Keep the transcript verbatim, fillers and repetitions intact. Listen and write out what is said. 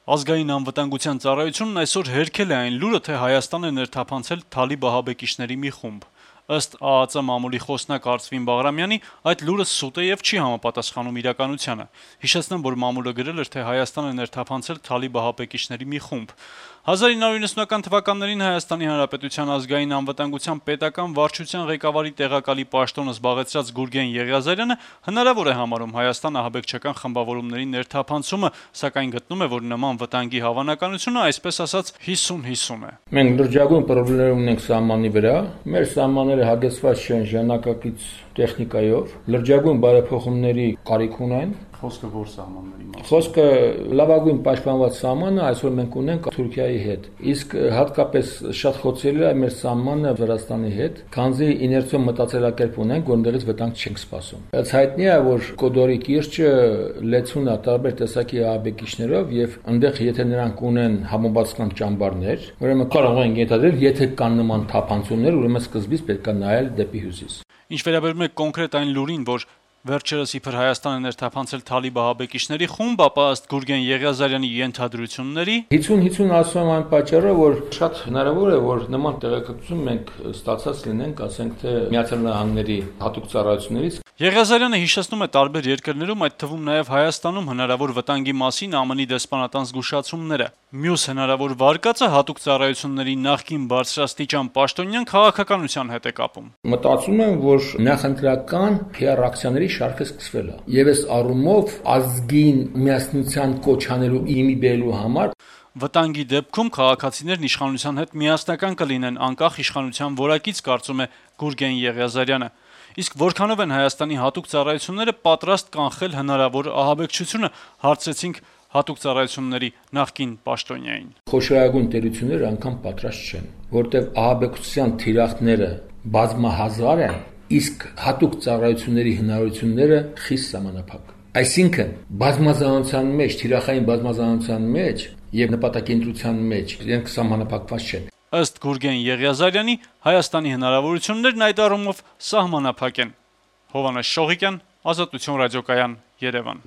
Ազգային անվտանգության ծառայությունն այսօր հերքել է այն լուրը, թե Հայաստան է ներթափանցել թալիբ ահաբեկիչների մի խումբ։ Ըստ ԱԱԾ մամուլի խոսնակ Արծվին Բաղրամյանի, այդ լուրը սուտ է եւ չի համապատասխանում իրականությանը։ Հիշեցնեմ, որ մամուլը գրել էր, թե Հայաստան է ներթափանցել թալիբ ահաբեկիչների մի խումբ։ հազար ինը հարյուր նվեցնունական թվականներին Հայաստանի Հանրապետության ազգային անվտանգության պետական վարչության ղեկավարի տեղակալի պաշտոնը զբաղեցրած Գուրգեն Եղիազարյանը հնարավոր է համարում Հայաստան ահաբեկչական խմբավորումների ներթափանցումը, սակայն գտնում է, որ նման վտանգի հավանականությունը, այսպես ասած, հիսուն հիսուն է։ Մենք լրջագույն խնդիրներ ունենք սահմանի վրա, մեր սահմանները հագեցված չեն ժամանակակից տեխնիկայով, լրջագույն բարեփոխումների կարիք ունեն։ Խոսքը որ սահմանների մասին։ Խոսքը լավագույն պաշտպանված սահմանը այսօր մենք ունենք Թուրքիայի հետ։ Իսկ հատկապես շատ խոցելի է մեր սահմանը Վրաստանի հետ, քանզի իներցիոն մտածելակերպ ունենք, որտեղից վտանգ չենք սպասում։ Բայց հայտնի է, որ Կոդորի կիրճը լեցուն է տարբեր տեսակի ահաբեկիչներով եւ այնտեղ եթե նրանք ունեն համապատասխան ճամբարներ, ուրեմն կարող են ենթադրել, եթե կան նման թափանցումներ, ուրեմն սկզբից պետք է նայել դեպի հյուսիս։ Ինչ վերաբերում է կոնկրետ այն լուրին, որ վերջերս իբր Հայաստանը ներթափանցել թալիբ ահաբեկիչների խումբ, ապա ըստ Գուրգեն Եղիազարյանի ենթադրությունների հիսուն հիսուն ասում եմ այն պատճառով, որ շատ հնարավոր է, որ նման տեղեկատվություն մենք ստացած լինենք, ասենք թե Միացյալ Նահանգների հատուկ ծառայություններից։ Եղիազարյանը հիշեցնում է տարբեր երկրներում, այդ թվում նաև Հայաստանում հնարավոր վտանգի մասին ԱՄՆ-ի դեսպանատան զգուշացումները։ Մյուս հնարավոր վարկածը հատուկ ծառայությունների նախկին բարձրաստիճան պաշտոնյան քաղաքականության հետ է կապում։ Մտածում եմ, որ նախընտրական Փ R ակցիաների շարքը սկսվել է։ Եվ այս առումով ազգին միասնության կոչ անելու իմի բերելու համար վտանգի դեպքում քաղաքացիներն իշխանության հետ միասնական կլինեն անկախ իշխանության որակից, կարծում է Գուրգեն Եղիազարյանը։ Իսկ որքանով են Հայաստանի հատուկ ծառայությունները պատրաստ կանխել հնարավոր ահաբեկչությունը, հարցրեցինք հատուկ ծառայությունների նախկին պաշտոնյային։ Խոշորագույն տերությունները անգամ պատրաստ չեն, որտեղ ահաբեկչության թիրախները բազմահազար են, իսկ հատուկ ծառայությունների հնարավորությունները խիստ սահմանափակ։ Այսինքն բազմազանության մեջ, թիրախային բազմազանության մեջ եւ նպատակենտրության մեջ իրենք սահմանափակված չեն։ Ըստ Գուրգեն Եղիազարյանի, Հայաստանի հնարավորություններն այդ առումով սահմանափակ են։ Հովհաննես Շողիկյան, Ազատություն ռադիոկայան, Երևան։